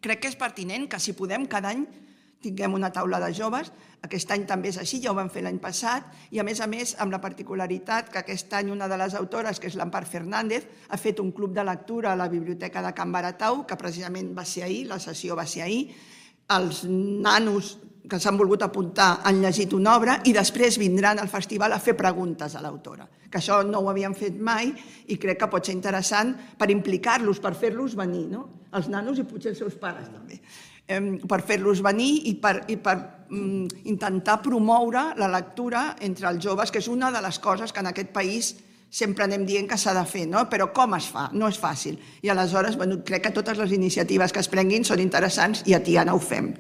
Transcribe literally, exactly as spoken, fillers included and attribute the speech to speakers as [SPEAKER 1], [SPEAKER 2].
[SPEAKER 1] Crec que és pertinent que, si podem, cada any tinguem una taula de joves. Aquest any també és així, ja ho vam fer l'any passat, i a més a més amb la particularitat que aquest any una de les autores, que és l'Empar Fernández, ha fet un club de lectura a la Biblioteca de Can Baratau, que precisament va ser ahir, la sessió va ser ahir. Els nanos que s'han volgut apuntar han llegit una obra i després vindran al festival a fer preguntes a l'autora, que això no ho havien fet mai i crec que pot ser interessant per implicar-los, per fer-los venir, no? Els nanos i potser els seus pares també, per fer-los venir i per intentar promoure la lectura entre els joves, que és una de les coses que en aquest país sempre anem dient que s'ha de fer, però com es fa? No és fàcil. I aleshores crec que totes les iniciatives que es prenguin són interessants i a Tiana ho fem.